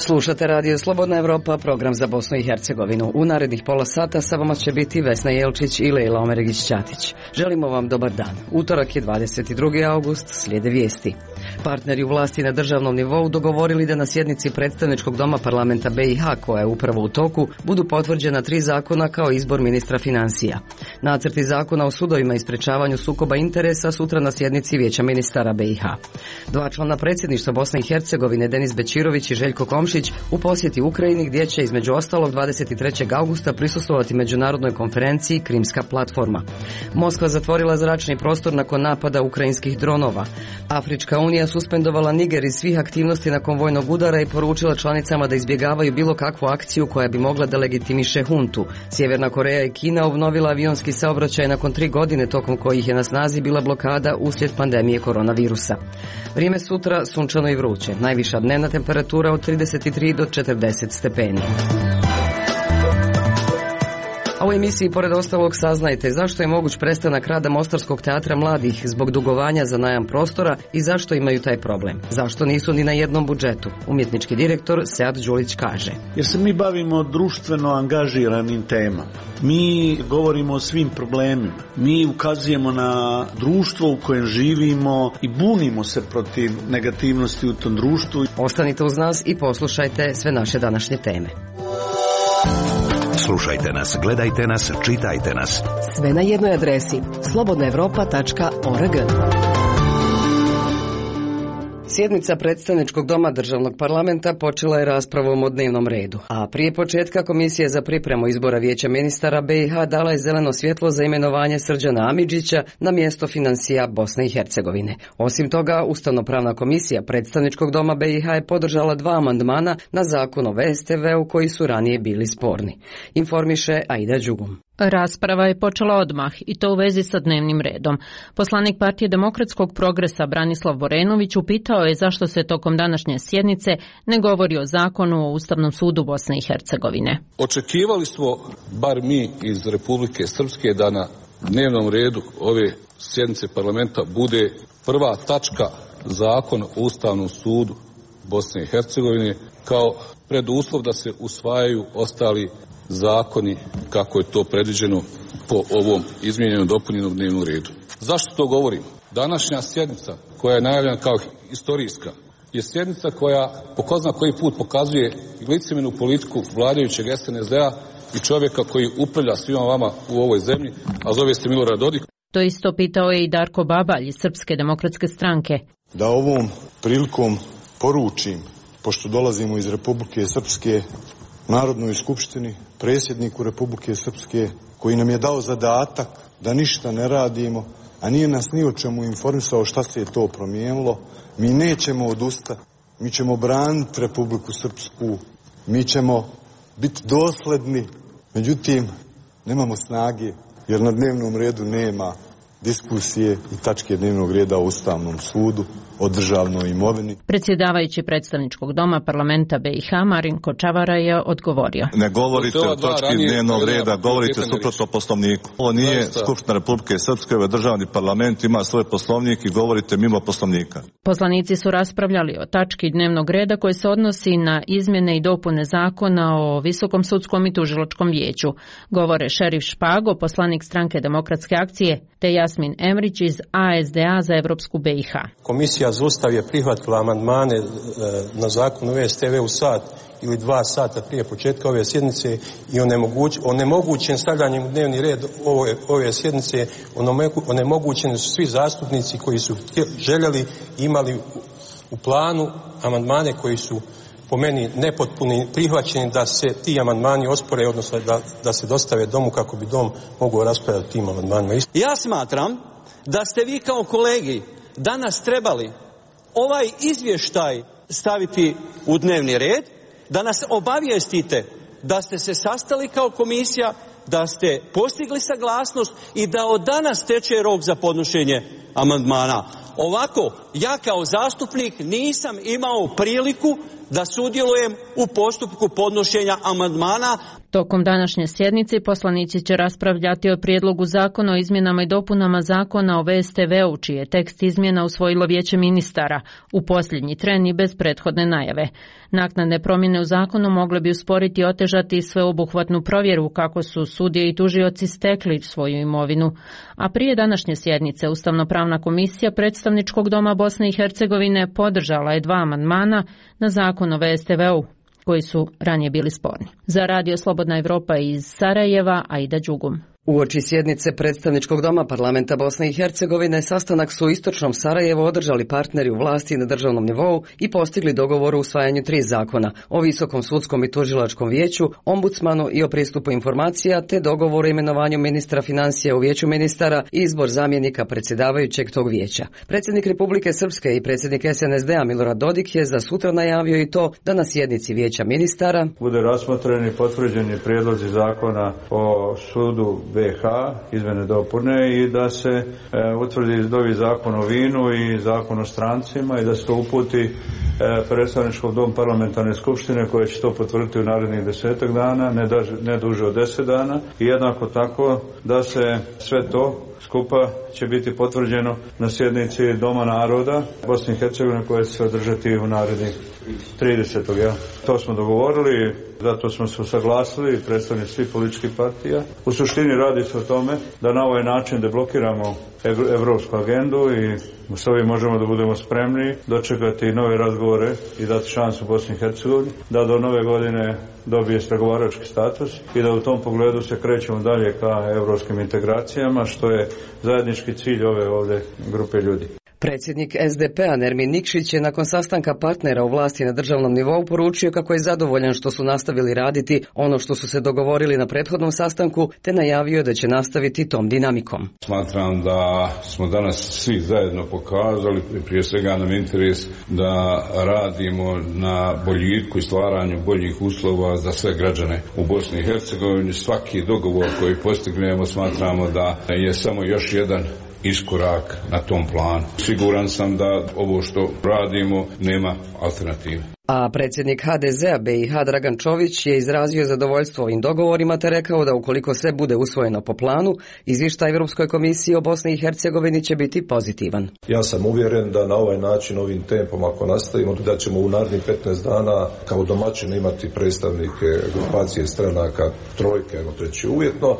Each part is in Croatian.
Slušate Radio Slobodna Evropa, program za Bosnu i Hercegovinu. U narednih pola sata sa vama će biti Vesna Jelčić i Lejla Omeregić-Ćatić. Želimo vam dobar dan. Utorak je 22. august, slijede vijesti. Partneri u vlasti na državnom nivou dogovorili da na sjednici predstavničkog doma parlamenta BiH, koja je upravo u toku, budu potvrđena 3 zakona kao izbor ministra financija. Nacrti zakona o sudovima i sprečavanju sukoba interesa sutra na sjednici Vijeća ministara BiH. 2 člana predsjedništva Bosne i Hercegovine, Denis Bećirović i Željko Komšić, u posjeti Ukrajini gdje će između ostalog 23. augusta prisustvovati međunarodnoj konferenciji Krimska platforma. Moskva zatvorila zračni prostor nakon napada ukrajinskih dronova. Afrička unija suspendovala Niger iz svih aktivnosti nakon vojnog udara i poručila članicama da izbjegavaju bilo kakvu akciju koja bi mogla da legitimiše huntu. Sjeverna Koreja i Kina obnovila avionski saobraćaj nakon 3 godine tokom kojih je na snazi bila blokada uslijed pandemije koronavirusa. Vrijeme sutra sunčano i vruće, najviša dnevna temperatura od 33 do 40 stepeni. A u emisiji pored ostalog saznajte zašto je moguć prestanak rada Mostarskog teatra mladih zbog dugovanja za najam prostora i zašto imaju taj problem. Zašto nisu ni na jednom budžetu? Umjetnički direktor Sead Đulić kaže. Jer se mi bavimo društveno angažiranim temama. Mi govorimo o svim problemima. Mi ukazujemo na društvo u kojem živimo i bunimo se protiv negativnosti u tom društvu. Ostanite uz nas i poslušajte sve naše današnje teme. Slušajte nas, gledajte nas, čitajte nas. Sve na jednoj adresi slobodnaevropa.org. Sjednica predstavničkog doma državnog parlamenta počela je raspravom o dnevnom redu, a prije početka Komisija za pripremu izbora Vijeća ministara BiH dala je zeleno svjetlo za imenovanje Srđana Amidžića na mjesto financija Bosne i Hercegovine. Osim toga, Ustavno-pravna komisija predstavničkog doma BiH je podržala 2 amandmana na zakon o VSTV-u koji su ranije bili sporni. Informiše Aida Đugum. Rasprava je počela odmah i to u vezi sa dnevnim redom. Poslanik Partije demokratskog progresa Branislav Borenović upitao je zašto se tokom današnje sjednice ne govori o zakonu o Ustavnom sudu Bosne i Hercegovine. Očekivali smo, bar mi iz Republike Srpske, da na dnevnom redu ove sjednice parlamenta bude prva tačka zakon o Ustavnom sudu Bosne i Hercegovine kao preduslov da se usvajaju ostali zakoni kako je to predviđeno po ovom izmijenjenom dopunjenom dnevnom redu. Zašto to govorim? Današnja sjednica koja je najavljena kao istorijska je sjednica koja po ko zna koji put pokazuje licemjernu politiku vladajućeg SNSD-a i čovjeka koji upravlja svima vama u ovoj zemlji, a zove se Milorad Dodik. To isto pitao je i Darko Babalj iz Srpske demokratske stranke. Da ovom prilikom poručim, pošto dolazimo iz Republike Srpske, Narodnoj skupštini, predsjedniku Republike Srpske, koji nam je dao zadatak da ništa ne radimo, a nije nas ni o čemu informisao šta se je to promijenilo, mi nećemo odustati, mi ćemo braniti Republiku Srpsku, mi ćemo biti dosledni, međutim, nemamo snage, jer na dnevnom redu nema diskusije i tačke dnevnog reda o Ustavnom sudu, o državnoj imovini. Predsjedavajući predstavničkog doma parlamenta BiH Marinko Čavara je odgovorio. Ne govorite o točki dnevnog reda, govorite suprotno poslovniku. Ovo nije Skupština Republike Srpske, ovo je državni parlament, ima svoj poslovnik i govorite mimo poslovnika. Poslanici su raspravljali o tački dnevnog reda koji se odnosi na izmjene i dopune zakona o Visokom sudskom i tužilačkom vijeću. Govore Šerif Špago, poslanik stranke Demokratske akcije, te Jasmin Emrić iz ASDA za Evropsku BiH. Komisija za Ustav je prihvatila amandmane na zakon o VSTV u sat ili 2 sata prije početka ove sjednice i onemogućen stavljanjem u dnevni red ove sjednice, onemogućeni su svi zastupnici koji su željeli imali u planu amandmane koji su po meni nepotpuni, prihvaćeni da se ti amandmani ospore, odnosno da se dostave domu kako bi dom mogao raspravljati tim amandmanima. Ja smatram da ste vi kao kolegi danas trebali ovaj izvještaj staviti u dnevni red, da nas obavijestite da ste se sastali kao komisija, da ste postigli saglasnost i da od danas teče rok za podnošenje amandmana. Ovako, ja kao zastupnik nisam imao priliku da sudjelujem u postupku podnošenja amandmana. Tokom današnje sjednice poslanici će raspravljati o prijedlogu zakona o izmjenama i dopunama zakona o VSTV-u, čiji je tekst izmjena usvojilo Vijeće ministara u posljednji tren i bez prethodne najave. Naknadne promjene u zakonu mogle bi usporiti i otežati sveobuhvatnu provjeru kako su sudije i tužioci stekli svoju imovinu. A prije današnje sjednice Ustavno-pravna komisija Predstavničkog doma Bosne i Hercegovine podržala je 2 amandmana na zakon o VSTV-u, koji su ranije bili sporni. Za Radio Slobodna Evropa iz Sarajeva, Aida Đugum. Uoči sjednice Predstavničkog doma Parlamenta Bosne i Hercegovine sastanak su u istočnom Sarajevu održali partneri u vlasti na državnom nivou i postigli dogovor o usvajanju 3 zakona o Visokom sudskom i tužilačkom vijeću, ombudsmanu i o pristupu informacija, te dogovor o imenovanju ministra financija u vijeću ministara i izbor zamjenika predsjedavajućeg tog vijeća. Predsjednik Republike Srpske i predsjednik SNSD-a Milorad Dodik je za sutra najavio i to da na sjednici vijeća ministara bude razmotreni potvrđeni prijedlozi zakona o sudu BiH, izmjene dopune, i da se utvrdi novi zakon o vinu i zakon o strancima i da se to uputi Predstavničkom domu parlamentarne skupštine koje će to potvrditi u narednih 10 dana, ne duže od 10 dana, i jednako tako da se sve to skupa će biti potvrđeno na sjednici Doma naroda Bosne i Hercegovine koja će se održati u narednih 30. Ja. To smo dogovorili, zato smo se usaglasili predstavnici svih političkih partija. U suštini radi se o tome da na ovaj način deblokiramo evropsku agendu i s ovim možemo da budemo spremni dočekati nove razgovore i dati šansu Bosni i Hercegovini da do nove godine dobije pregovarački status i da u tom pogledu se krećemo dalje ka evropskim integracijama, što je zajednički cilj ove ovdje grupe ljudi. Predsjednik SDP-a Nermin Nikšić je nakon sastanka partnera u vlasti na državnom nivou poručio kako je zadovoljan što su nastavili raditi ono što su se dogovorili na prethodnom sastanku, te najavio da će nastaviti tom dinamikom. Smatram da smo danas svi zajedno pokazali, prije svega nam interes da radimo na boljitku i stvaranju boljih uslova za sve građane u Bosni i Hercegovini. Svaki dogovor koji postignemo smatramo da je samo još jedan iskorak na tom planu. Siguran sam da ovo što radimo nema alternative. A predsjednik HDZ-a BiH Dragan Čović je izrazio zadovoljstvo ovim dogovorima te rekao da ukoliko sve bude usvojeno po planu, izvještaj Europskoj komisiji o Bosni i Hercegovini će biti pozitivan. Ja sam uvjeren da na ovaj način, ovim tempom, ako nastavimo, da ćemo u narednih 15 dana kao domaćini imati predstavnike grupacije stranaka trojke, ajmo reći uvjetno.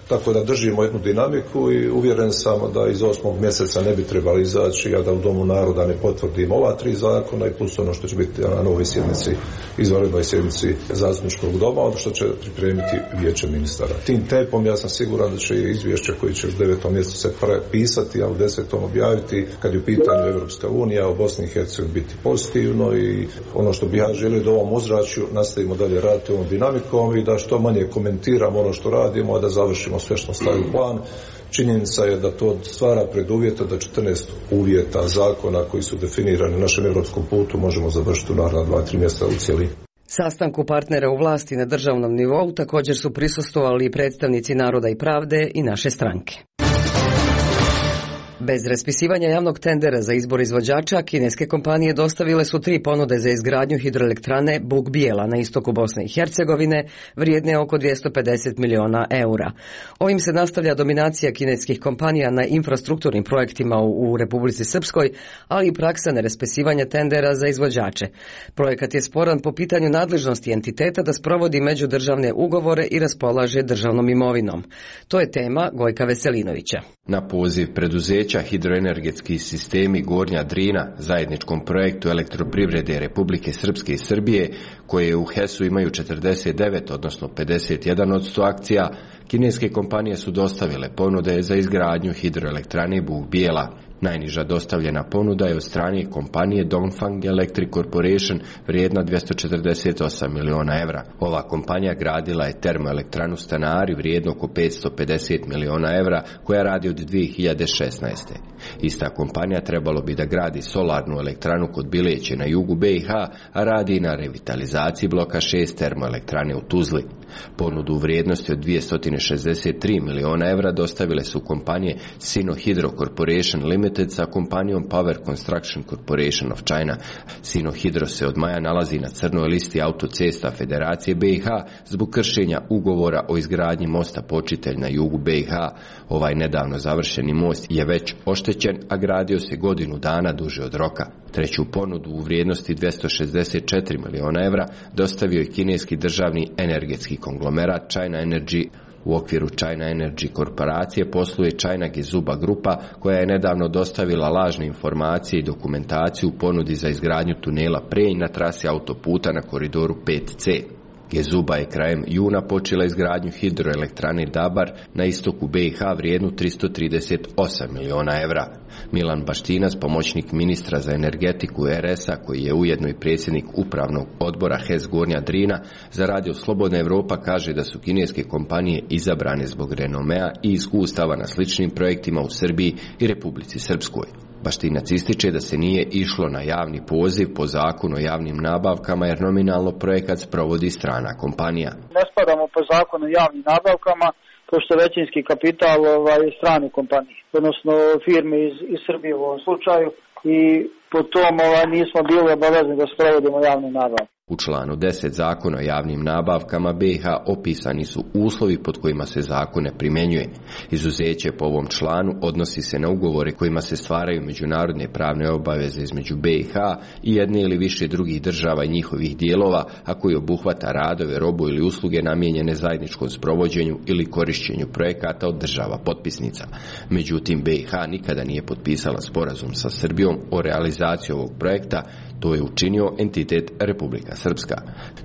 Tako da držimo jednu dinamiku i uvjeren sam da iz 8. mjeseca ne bi trebali izaći, a da u Domu naroda ne potvrdimo ova 3 zakona i plus ono što će biti na novoj sjednici, izvanrednoj sjednici Zastupničkog doma, ono što će pripremiti Vijeće ministara. Tim tempom ja sam siguran da će izvješće koji će u 9. mjesecu se pisati, a u 10. objaviti, kad je u pitanju Evropska unija, u Bosni i Hercegovini biti pozitivno, i ono što bi ja želio da ovom ozračju nastavimo dalje raditi ovom dinamikom i da što manje komentiramo ono što radimo, a da završimo sve što stavi u plan. Činjenica je da to stvara preduvjeta da 14 uvjeta zakona koji su definirani na našem europskom putu možemo završiti u naredna 2-3 mjeseca u cijelini. Sastanku partnera u vlasti na državnom nivou također su prisustvovali predstavnici Naroda i pravde i naše stranke. Bez raspisivanja javnog tendera za izbor izvođača, kineske kompanije dostavile su 3 ponude za izgradnju hidroelektrane Buk Bijela na istoku Bosne i Hercegovine, vrijedne oko 250 miliona eura. Ovim se nastavlja dominacija kineskih kompanija na infrastrukturnim projektima u Republici Srpskoj, ali i praksa neraspisivanja tendera za izvođače. Projekat je sporan po pitanju nadležnosti entiteta da sprovodi međudržavne ugovore i raspolaže državnom imovinom. To je tema Gojka Veselinovića. Na poziv preduzeća Hidroenergetski sistemi Gornja Drina, zajedničkom projektu elektroprivrede Republike Srpske i Srbije, koje u HES-u imaju 49, odnosno 51% akcija, kineske kompanije su dostavile ponude za izgradnju hidroelektrane Buk Bijela. Najniža dostavljena ponuda je od strane kompanije Dongfang Electric Corporation vrijedna 248 miliona evra. Ova kompanija gradila je termoelektranu Stanari vrijednu oko 550 miliona evra koja radi od 2016. Ista kompanija trebalo bi da gradi solarnu elektranu kod Bileće na jugu BiH, a radi na revitalizaciji bloka 6 termoelektrane u Tuzli. Ponudu u vrijednosti od 263 miliona evra dostavile su kompanije Sino Hydro Corporation Limited sa kompanijom Power Construction Corporation of China. Sino Hydro se od maja nalazi na crnoj listi autocesta Federacije BiH zbog kršenja ugovora o izgradnji mosta Počitelj na jugu BiH. Ovaj nedavno završeni most je već oštećen, a gradio se godinu dana duže od roka. Treću ponudu u vrijednosti 264 miliona evra dostavio je kineski državni energetski konglomerat China Energy. U okviru China Energy korporacije posluje China Gezuba grupa, koja je nedavno dostavila lažne informacije i dokumentaciju u ponudi za izgradnju tunela Prenj na trasi autoputa na koridoru 5C. Gezuba je krajem juna počela izgradnju hidroelektrane Dabar na istoku BiH vrijednu 338 miliona evra. Milan Baštinac, pomoćnik ministra za energetiku RS-a, koji je ujedno i predsjednik upravnog odbora HES Gornja Drina, za radio Slobodna Evropa kaže da su kineske kompanije izabrane zbog renomea i iskustava na sličnim projektima u Srbiji i Republici Srpskoj. Baštinac ističe da se nije išlo na javni poziv po zakonu o javnim nabavkama jer nominalno projekat sprovodi strana kompanija. Ne spadamo po zakonu o javnim nabavkama, pošto većinski kapital strane kompanije, odnosno firme iz Srbije u ovom slučaju, i po tom nismo bili obavezni da sprovodimo javne nabavke. U članu 10 zakona o javnim nabavkama BiH opisani su uslovi pod kojima se zakon ne primjenjuje. Izuzeće po ovom članu odnosi se na ugovore kojima se stvaraju međunarodne pravne obaveze između BiH i jedne ili više drugih država i njihovih dijelova, a koji obuhvata radove, robu ili usluge namijenjene zajedničkom sprovođenju ili korišćenju projekata od država potpisnica. Međutim, BiH nikada nije potpisala sporazum sa Srbijom o realizaciji ovog projekta. To je učinio entitet Republika Srpska.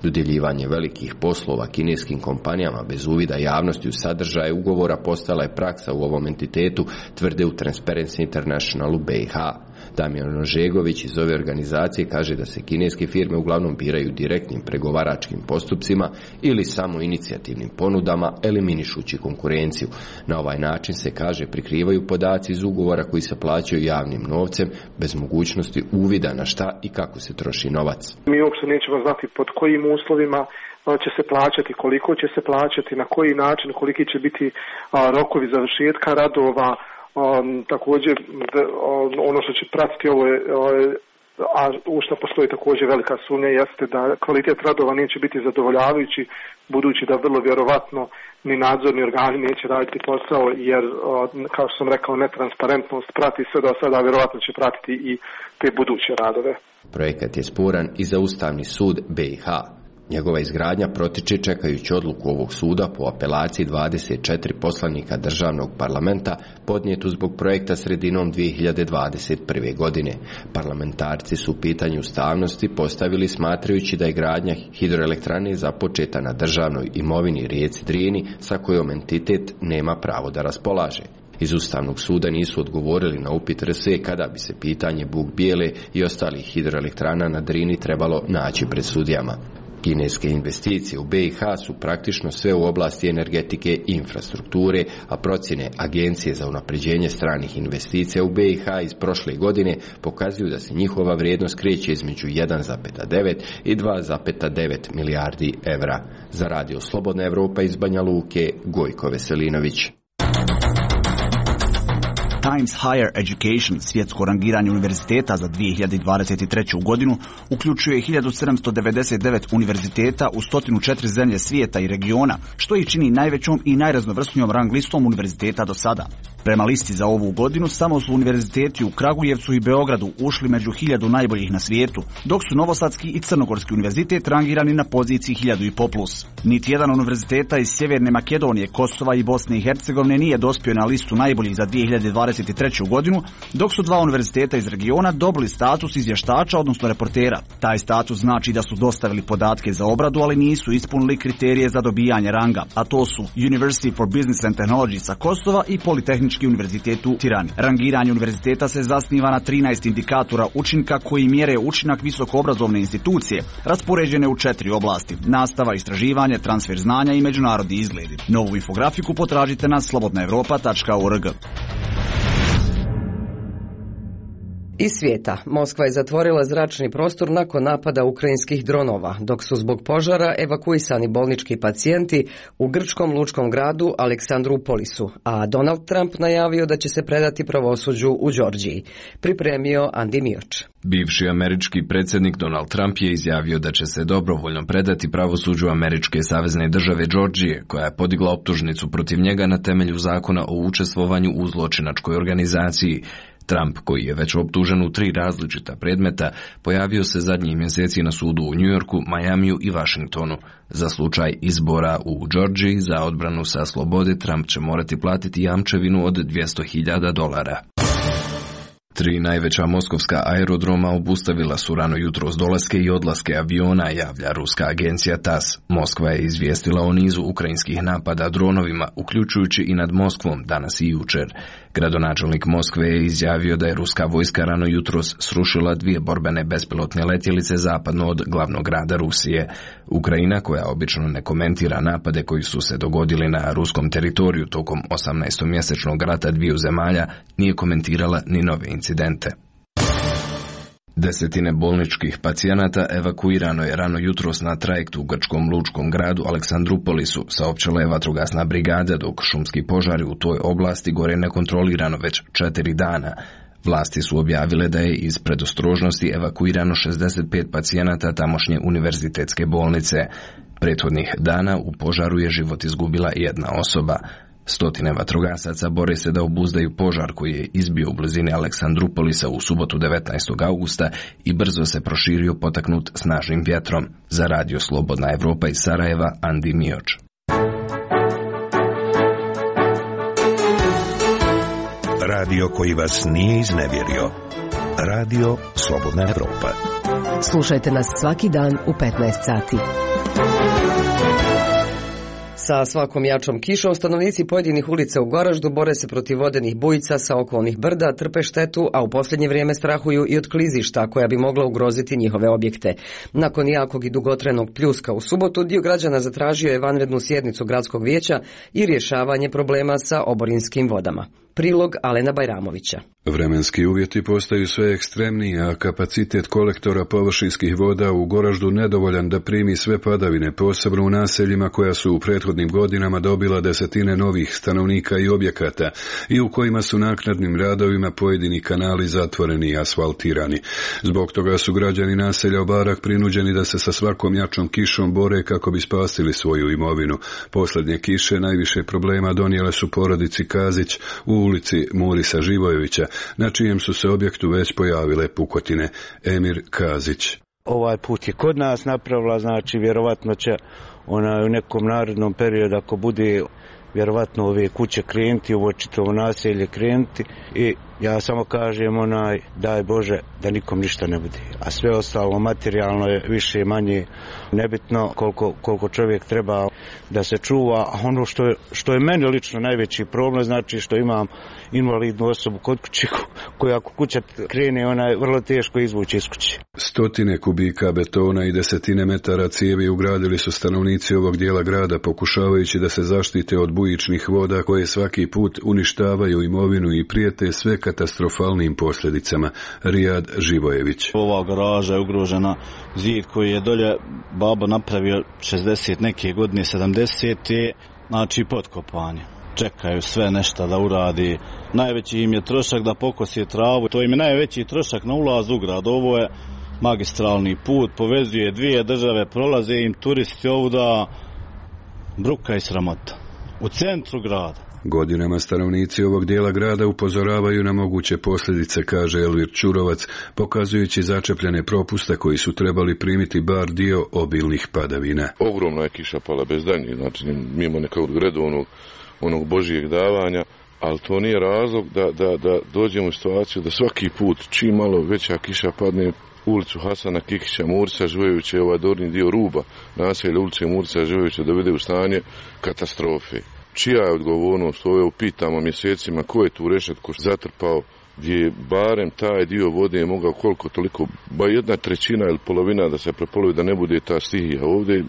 Dodjeljivanje velikih poslova kineskim kompanijama bez uvida javnosti u sadržaje ugovora postala je praksa u ovom entitetu, tvrde u Transparency International u BiH. Damjan Ožegović iz ove organizacije kaže da se kineske firme uglavnom biraju direktnim pregovaračkim postupcima ili samo inicijativnim ponudama, eliminišući konkurenciju. Na ovaj način se, kaže, prikrivaju podaci iz ugovora koji se plaćaju javnim novcem bez mogućnosti uvida na šta i kako se troši novac. Mi uopće nećemo znati pod kojim uslovima će se plaćati, koliko će se plaćati, na koji način, koliki će biti rokovi završetka radova. Također ono što će pratiti ovo je, a u što postoji također velika sumnja, jeste da kvalitet radova neće biti zadovoljavajući, budući da vrlo vjerovatno ni nadzorni organi neće raditi posao, jer kao što sam rekao, netransparentnost prati sve do sada, vjerovatno će pratiti i te buduće radove. Projekat je sporan i za Ustavni sud BiH. Njegova izgradnja protiče čekajući odluku ovog suda po apelaciji 24 poslanika državnog parlamenta podnijetu zbog projekta sredinom 2021. godine. Parlamentarci su pitanje ustavnosti postavili smatrajući da je gradnja hidroelektrane započeta na državnoj imovini rijeci Drini sa kojom entitet nema pravo da raspolaže. Iz Ustavnog suda nisu odgovorili na upit RS kada bi se pitanje Buk Bijele i ostalih hidroelektrana na Drini trebalo naći pred sudijama. Kineske investicije u BiH su praktično sve u oblasti energetike i infrastrukture, a procjene Agencije za unapređenje stranih investicija u BiH iz prošle godine pokazuju da se njihova vrijednost kreće između 1,9 i 2,9 milijardi evra. Za radio Slobodna Evropa iz Banja Luke, Gojko Veselinović. Times Higher Education, svjetsko rangiranje univerziteta za 2023. godinu, uključuje 1799 univerziteta u 104 zemlje svijeta i regiona, što ih čini najvećom i najraznovrsnijom rang listom univerziteta do sada. Prema listi za ovu godinu, samo su univerziteti u Kragujevcu i Beogradu ušli među 1000 najboljih na svijetu, dok su Novosadski i Crnogorski univerzitet rangirani na poziciji 1500+. Niti jedan univerziteta iz Sjeverne Makedonije, Kosova i Bosne i Hercegovine nije dospio na listu najboljih za 2023. godinu, dok su 2 univerziteta iz regiona dobili status izvještača, odnosno reportera. Taj status znači da su dostavili podatke za obradu, ali nisu ispunili kriterije za dobijanje ranga, a to su University for Business and Technology sa Kosova i Politehnički univerzitet u Tirani. Rangiranje univerziteta se zasniva na 13 indikatora učinka koji mjere učinak visokoobrazovne institucije, raspoređene u 4 oblasti: nastava, istraživanje, transfer znanja i međunarodni izgledi. Novu infografiku potražite na slobodnaevropa.org. Iz svijeta, Moskva je zatvorila zračni prostor nakon napada ukrajinskih dronova, dok su zbog požara evakuisani bolnički pacijenti u grčkom lučkom gradu Aleksandrupolisu, a Donald Trump najavio da će se predati pravosuđu u Đorđiji. Pripremio Andi Mioč. Bivši američki predsjednik Donald Trump je izjavio da će se dobrovoljno predati pravosuđu američke savezne države Đorđije, koja je podigla optužnicu protiv njega na temelju zakona o učestvovanju u zločinačkoj organizaciji. Trump, koji je već optužen u 3 različita predmeta, pojavio se zadnjih mjeseci na sudu u Njujorku, Majamiju i Washingtonu. Za slučaj izbora u Đorđiji za odbranu sa slobode Trump će morati platiti jamčevinu od $200.000. 3 najveća moskovska aerodroma obustavila su rano jutros dolaske i odlaske aviona, javlja ruska agencija TASS. Moskva je izvijestila o nizu ukrajinskih napada dronovima, uključujući i nad Moskvom danas i jučer. Gradonačelnik Moskve je izjavio da je ruska vojska rano jutros srušila 2 borbene bespilotne letjelice zapadno od glavnog grada Rusije. Ukrajina, koja obično ne komentira napade koji su se dogodili na ruskom teritoriju tokom 18-mjesečnog rata dviju zemalja, nije komentirala ni nove incidente. 10 bolničkih pacijenata evakuirano je rano jutros na trajektu u grčkom lučkom gradu Aleksandrupolisu, saopćila je vatrogasna brigada, dok šumski požari u toj oblasti gore nekontrolirano već 4 dana. Vlasti su objavile da je iz predostrožnosti evakuirano 65 pacijenata tamošnje univerzitetske bolnice. Prethodnih dana u požaru je život izgubila 1 osoba. 100 vatrogasaca bore se da obuzdaju požar koji je izbio u blizini Aleksandrupolisa u subotu 19. augusta i brzo se proširio potaknut snažnim vjetrom. Za radio Slobodna Evropa iz Sarajeva, Andi Mioč. Radio koji vas nije iznevjerio. Radio Slobodna Evropa. Slušajte nas svaki dan u 15 sati. Sa svakom jačom kišom stanovnici pojedinih ulica u Goraždu bore se protiv vodenih bujica sa okolnih brda, trpe štetu, a u posljednje vrijeme strahuju i od klizišta koja bi mogla ugroziti njihove objekte. Nakon jakog i dugotrajnog pljuska u subotu, dio građana zatražio je vanrednu sjednicu gradskog vijeća i rješavanje problema sa oborinskim vodama. Prilog Alena Bajramovića. Vremenski uvjeti postaju sve ekstremniji, a kapacitet kolektora površinskih voda u Goraždu nedovoljan da primi sve padavine, posebno u naseljima koja su u prethodnim godinama dobila 10 novih stanovnika i objekata i u kojima su naknadnim radovima pojedini kanali zatvoreni i asfaltirani. Zbog toga su građani naselja Obarak prinuđeni da se sa svakom jačom kišom bore kako bi spasili svoju imovinu. Posljednje kiše najviše problema donijele su porodici Kazić u ulici Murisa Živojevića, na čijem su se objektu već pojavile pukotine. Emir Kazić. Ovaj put je kod nas napravila, znači vjerovatno će u nekom narednom periodu, ako bude vjerovatno ove kuće krenuti, ovo čitavo naselje krenuti, i ja samo kažem daj Bože da nikom ništa ne bude. A sve ostalo materijalno je više manje nebitno, koliko čovjek treba da se čuva. A ono što je meni lično najveći problem, znači što imam invalidnu osobu kod kuće, koja ako kuća krene, ona je vrlo teško izvući iz kuće. 100 kubika betona i 10 metara cijevi ugradili su stanovnici ovog dijela grada, pokušavajući da se zaštite od bujičnih voda koje svaki put uništavaju imovinu i prijete sve katastrofalnim posljedicama. Rijad Živojević. Ova garaža je ugrožena, zid koji je dolje babo napravio 60 neke godine, 70. znači potkopanje. Čekaju sve nešto da uradi. Najveći im je trošak da pokosije travu. To im je najveći trošak na ulaz u grad. Ovo je magistralni put, povezuje 2 države, prolaze im turisti ovuda, bruka i sramota. U centru grada. Godinama stanovnici ovog dijela grada upozoravaju na moguće posljedice, kaže Elvir Ćurovac, pokazujući začepljene propuste koji su trebali primiti bar dio obilnih padavina. Ogromna je kiša pala bez daljnjih, znači mimo nekog redovnog onog božjeg davanja, ali to nije razlog da dođemo u situaciju da svaki put čim malo veća kiša padne ulicu Hasana Kikića, Murisa Živojevića i ovaj dorni dio ruba naselja ulice Murisa Živojevića dovede u stanje katastrofe. Čija je odgovornost? Ovo upitamo mjesecima, ko je tu rešetku zatrpao, gdje je barem taj dio vode mogao koliko toliko, ba 1/3 ili polovina da se prepolovi, da ne bude ta stihija.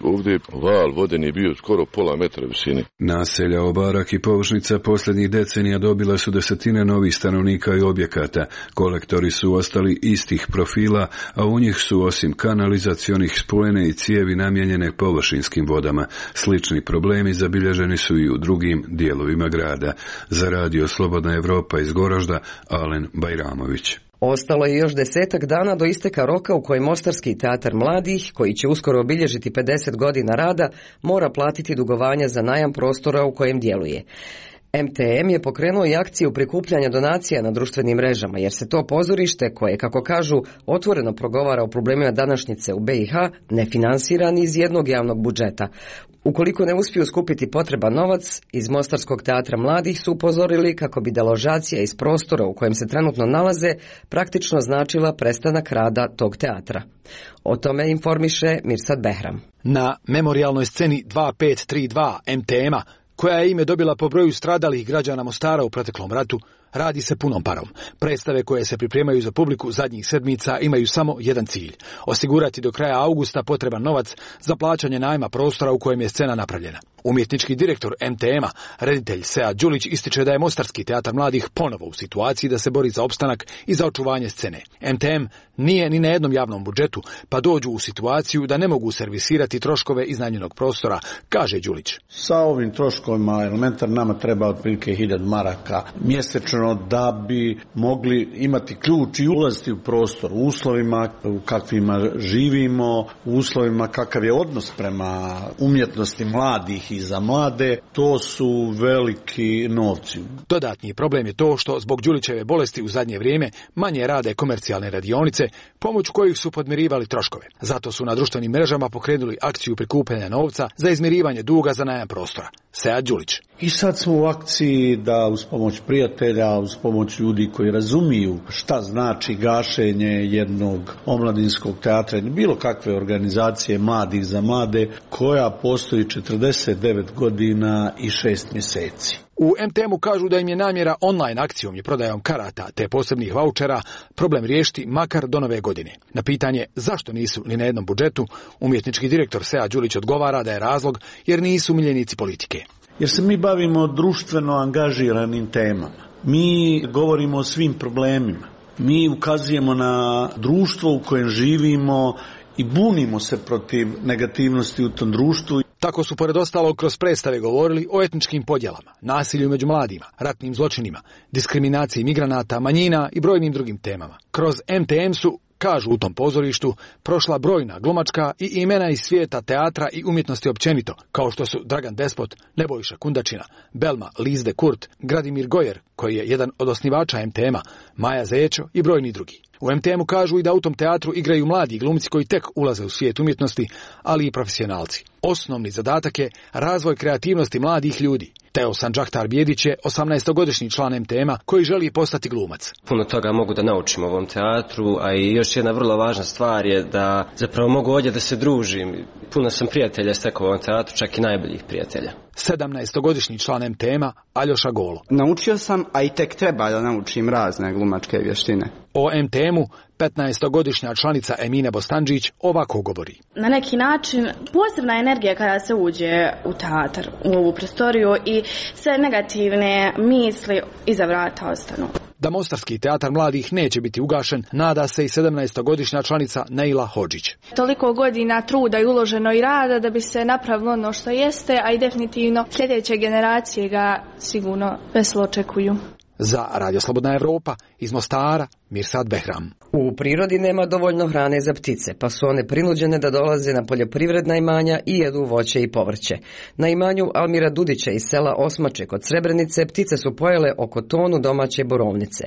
Ovdje val voden je bio skoro pola metra visine. Naselja Obarak i Površnica posljednjih decenija dobila su desetine novih stanovnika i objekata. Kolektori su ostali istih profila, a u njih su osim kanalizacionih spojene i cijevi namijenjene površinskim vodama. Slični problemi zabilježeni su i u drugim dijelovima grada. Za Radio Slobodna Evropa iz Goražda, Alen Bajramović. Ostalo je još 10 dana do isteka roka u kojem Mostarski teatar mladih, koji će uskoro obilježiti 50 godina rada, mora platiti dugovanja za najam prostora u kojem djeluje. MTM je pokrenuo i akciju prikupljanja donacija na društvenim mrežama, jer se to pozorište, koje, kako kažu, otvoreno progovara o problemima današnjice u BiH, ne finansira ni iz jednog javnog budžeta. Ukoliko ne uspiju skupiti potreban novac, iz Mostarskog teatra mladih su upozorili kako bi deložacija iz prostora u kojem se trenutno nalaze praktično značila prestanak rada tog teatra. O tome informiše Mirsad Behram. Na memorijalnoj sceni 2532 MTM-a, koja je ime dobila po broju stradalih građana Mostara u proteklom ratu, radi se punom parom. Predstave koje se pripremaju za publiku zadnjih sedmica imaju samo jedan cilj: osigurati do kraja augusta potreban novac za plaćanje najma prostora u kojem je scena napravljena. Umjetnički direktor MTM-a, reditelj Sead Đulić, ističe da je Mostarski teatar mladih ponovo u situaciji da se bori za opstanak i za očuvanje scene. MTM nije ni na jednom javnom budžetu, pa dođu u situaciju da ne mogu servisirati troškove iznajmljenog prostora, kaže Đulić. Sa ovim troškovima elementar nama treba otprilike 1000 maraka mjesečno da bi mogli imati ključ i ulaziti u prostor u uslovima u kakvima živimo, u uslovima kakav je odnos prema umjetnosti mladih i za mlade. To su veliki novci. Dodatni problem je to što zbog Đulićeve bolesti u zadnje vrijeme manje rade komercijalne radionice, pomoću kojih su podmirivali troškove. Zato su na društvenim mrežama pokrenuli akciju prikupljanja novca za izmirivanje duga za najam prostora. Sead Đulić. I sad smo u akciji da uz pomoć prijatelja, uz pomoć ljudi koji razumiju šta znači gašenje jednog omladinskog teatra ili bilo kakve organizacije mladih za mlade, koja postoji 49 godina i 6 mjeseci. U MTM-u kažu da im je namjera online akcijom i prodajom karata te posebnih vaučera problem riješiti makar do nove godine. Na pitanje zašto nisu ni na jednom budžetu, umjetnički direktor Sead Đulić odgovara da je razlog jer nisu miljenici politike. Jer se mi bavimo društveno angažiranim temama. Mi govorimo o svim problemima. Mi ukazujemo na društvo u kojem živimo i bunimo se protiv negativnosti u tom društvu. Tako su pored ostalog kroz predstave govorili o etničkim podjelama, nasilju među mladima, ratnim zločinima, diskriminaciji migranata, manjina i brojnim drugim temama. Kroz MTM su, kažu u tom pozorištu, prošla brojna glumačka i imena iz svijeta teatra i umjetnosti općenito, kao što su Dragan Despot, Nebojša Kundačina, Belma Lizde Kurt, Gradimir Gojer, koji je jedan od osnivača MTM-a, Maja Zečo i brojni drugi. U MTM-u kažu i da u tom teatru igraju mladi glumci koji tek ulaze u svijet umjetnosti, ali i profesionalci. Osnovni zadatak je razvoj kreativnosti mladih ljudi. Teo Sanđahtar Bijedić je 18-godišnji član MTM-a koji želi postati glumac. Puno toga mogu da naučim u ovom teatru, a i još jedna vrlo važna stvar je da zapravo mogu ovdje da se družim. Puno sam prijatelja stekao u ovom teatru, čak i najboljih prijatelja. 17-godišnji član MTM-a Aljoša Golo. Naučio sam, a i tek treba da naučim razne glumačke vještine. O MTM-u 15-godišnja članica Emina Bostandžić ovako govori. Na neki način posebna energija kada se uđe u teatar, u ovu prostoriju, i sve negativne misli iza vrata ostanu. Da Mostarski teatar mladih neće biti ugašen, nada se i 17-godišnja članica Neila Hodžić. Toliko godina truda i uloženo i rada da bi se napravilo ono što jeste, a i definitivno sljedeće generacije ga sigurno veselo očekuju. Za Radio Slobodna Evropa iz Mostara, Mirsad Behram. U prirodi nema dovoljno hrane za ptice, pa su one prinuđene da dolaze na poljoprivredna imanja i jedu voće i povrće. Na imanju Almira Dudića iz sela Osmače kod Srebrenice ptice su pojele oko tonu domaće borovnice.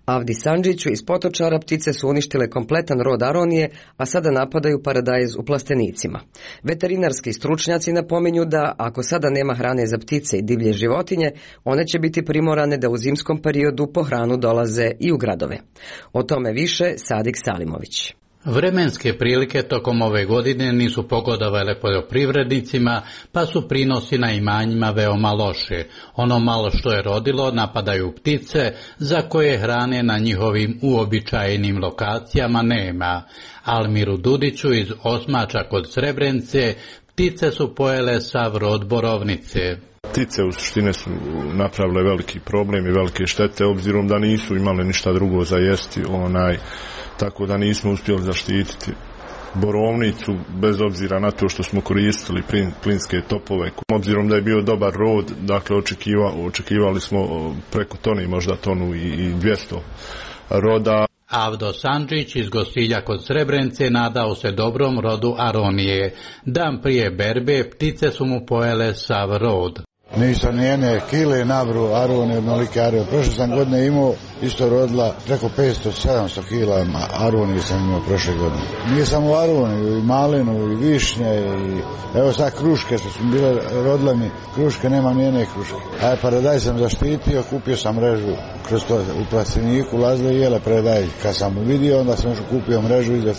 Avdi Sandžiću iz Potočara ptice su uništile kompletan rod aronije, a sada napadaju paradajz u plastenicima. Veterinarski stručnjaci napominju da ako sada nema hrane za ptice i divlje životinje, one će biti primorane da u zimskom periodu po hranu dolaze i u gradove. O tome više Sadik Salimović. Vremenske prilike tokom ove godine nisu pogodovale poljoprivrednicima, pa su prinosi na imanjima veoma loše. Ono malo što je rodilo napadaju ptice, za koje hrane na njihovim uobičajenim lokacijama nema. Almiru Dudiću iz Osmača kod Srebrenice ptice su pojele sav rod borovnice. Ptice u suštine su napravile veliki problem i velike štete, obzirom da nisu imale ništa drugo za jesti, tako da nismo uspjeli zaštititi borovnicu, bez obzira na to što smo koristili plinske topove. Obzirom da je bio dobar rod, dakle očekivali smo preko toni, možda tonu i 200 roda. Avdo Sandžić iz Gosilja kod Srebrenice nadao se dobrom rodu aronije. Dan prije berbe ptice su mu pojele sav rod. Nisam nijedne kile nabru arone, mnolike arone. Prošle sam godine imao, isto rodila preko 500-700 kila aronije sam imao prošle godine. Nije samo arone, i malinu, i višnje, i evo sad kruške što su bile rodile mi, kruške, nema nijedne kruške. A paradaj sam zaštitio, kupio sam mrežu kroz to u plastiniku, lazile i jele paradaj. Kad sam vidio, onda sam još kupio mrežu i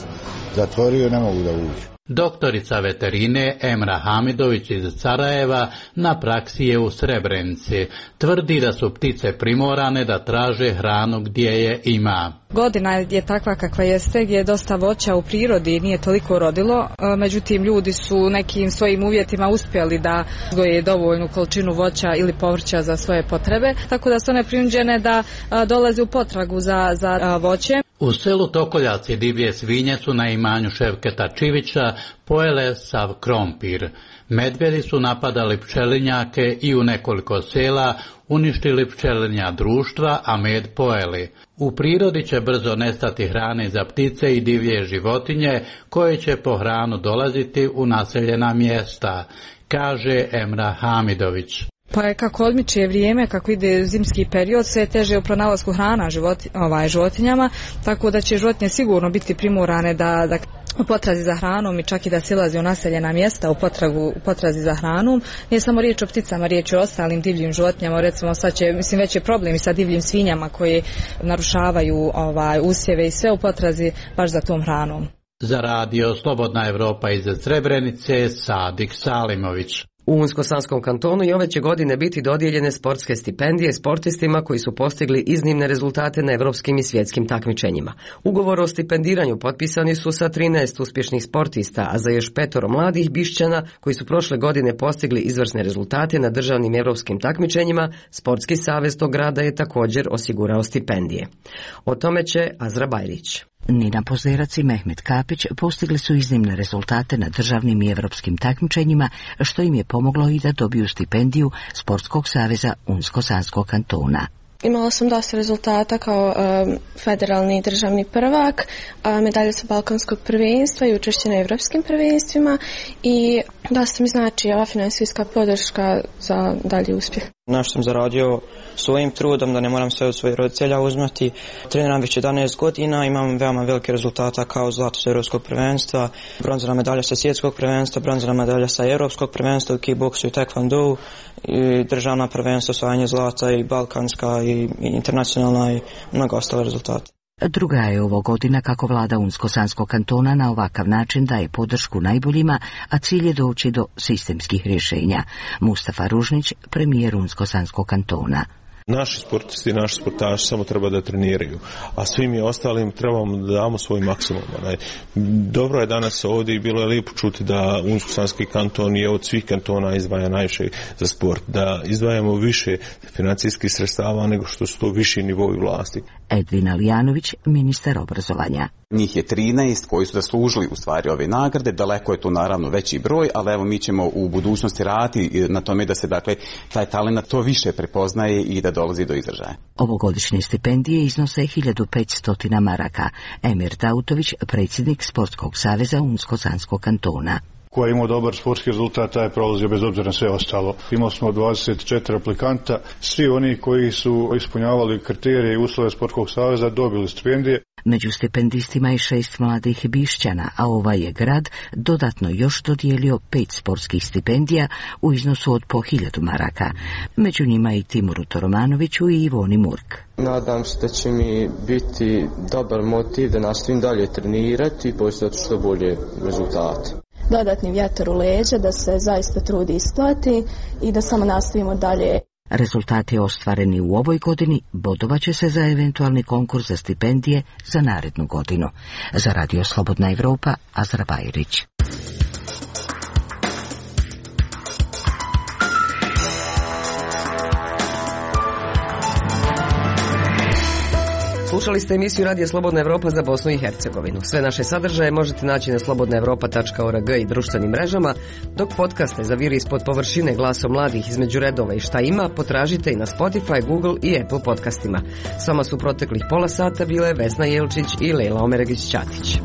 zatvorio, ne mogu da uđu. Doktorica veterine Emra Hamidović iz Sarajeva na praksi je u Srebrenici. Tvrdi da su ptice primorane da traže hranu gdje je ima. Godina je takva kakva jeste, gdje je dosta voća u prirodi i nije toliko rodilo, međutim ljudi su nekim svojim uvjetima uspjeli da uzgoje dovoljnu količinu voća ili povrća za svoje potrebe, tako da su one prinuđene da dolaze u potragu za voće. U selu Tokoljaci divlje svinje su na imanju Ševketa Čivića pojele sav krompir. Medvjedi su napadali pčelinjake i u nekoliko sela uništili pčelinja društva, a med pojeli. U prirodi će brzo nestati hrane za ptice i divlje životinje koje će po hranu dolaziti u naseljena mjesta, kaže Emra Hamidović. Pa je kako odmiče vrijeme, kako ide zimski period, sve je teže u pronalasku hrana životinjama, tako da će životinje sigurno biti primorane da u potrazi za hranom i čak i da silazi u naseljena mjesta u potrazi za hranom. Nije samo riječ o pticama, riječ o ostalim divljim životinjama. Recimo sad će, već je problem i sa divljim svinjama koje narušavaju usjeve i sve u potrazi baš za tom hranom. Za radio Slobodna Evropa iz Srebrenice, Sadik Salimović. U Unsko-Sanskom kantonu i ove će godine biti dodijeljene sportske stipendije sportistima koji su postigli iznimne rezultate na evropskim i svjetskim takmičenjima. Ugovor o stipendiranju potpisani su sa 13 uspješnih sportista, a za još 5 mladih Bišćana koji su prošle godine postigli izvrsne rezultate na državnim evropskim takmičenjima, Sportski savez tog grada je također osigurao stipendije. O tome će Azra Bajrić. Nina Pozerac i Mehmet Kapić postigli su iznimne rezultate na državnim i evropskim takmičenjima, što im je pomoglo i da dobiju stipendiju Sportskog saveza Unsko-Sanskog kantona. Imala sam dosta rezultata kao federalni državni prvak, medalje sa balkanskog prvenstva i učešće na evropskim prvenstvima i dosta mi znači ova finansijska podrška za dalji uspjeh. Naš sam zaradio svojim trudom, da ne moram sve od svojih roditelja uzmati. Treniram već 11 godina, imam veoma velike rezultata kao zlato sa evropskog prvenstva, bronzana medalja sa svjetskog prvenstva, bronzana medalja sa evropskog prvenstva u kickboksu i taekwondo, i državna prvenstva, osvajanje zlata i balkanska i internacionalna i mnogo ostale rezultate. Druga je ovo godina kako vlada Unsko-Sanskog kantona na ovakav način daje podršku najboljima, a cilj je doći do sistemskih rješenja. Mustafa Ružnić, premijer Unsko-Sanskog kantona. Naši sportisti i naši sportaši samo treba da treniraju, a svi mi ostalim trebamo da damo svoj maksimum. Dobro je danas ovdje i bilo je lijepo čuti da Unsko-Sanski kanton je od svih kantona izdvaja najviše za sport, da izdvajamo više financijskih sredstava nego što su to viši nivoi vlasti. Edvin Alijanović, ministar obrazovanja. Njih je 13 koji su zaslužili u stvari ove nagrade, daleko je to naravno veći broj, ali evo mi ćemo u budućnosti raditi na tome da se dakle taj talent to više prepoznaje i da dolazi do izražaja. Ovogodišnje stipendije iznose 1500 maraka. Emir Dautović, predsjednik Sportskog saveza Unsko-Sanskog kantona. Ko je imao dobar sportski rezultat, taj je prolazio bez obzira na sve ostalo. Imali smo 24 aplikanta, svi oni koji su ispunjavali kriterije i uslove Sportskog saveza dobili stipendije. Među stipendistima je 6 mladih Bišćana, a ovaj je grad dodatno još dodijelio 5 sportskih stipendija u iznosu od po 1000 maraka. Među njima i Timuru Toromanoviću i Ivoni Murk. Nadam se da će mi biti dobar motiv da nastavim dalje trenirati i postati što bolje rezultate. Dodatni vjetar u leđa, da se zaista trudi isplati i da samo nastavimo dalje. Rezultati ostvareni u ovoj godini bodovaće se za eventualni konkurs za stipendije za narednu godinu. Za Radio Slobodna Evropa, Azra Bajrić. Slušali ste emisiju Radija Slobodna Evropa za Bosnu i Hercegovinu. Sve naše sadržaje možete naći na slobodnaevropa.org i društvenim mrežama, dok podcaste Zaviri ispod površine glasom mladih između redova i šta ima, potražite i na Spotify, Google i Apple podcastima. S vama su proteklih pola sata bile Vesna Jelčić i Lejla Omeregić-Ćatić.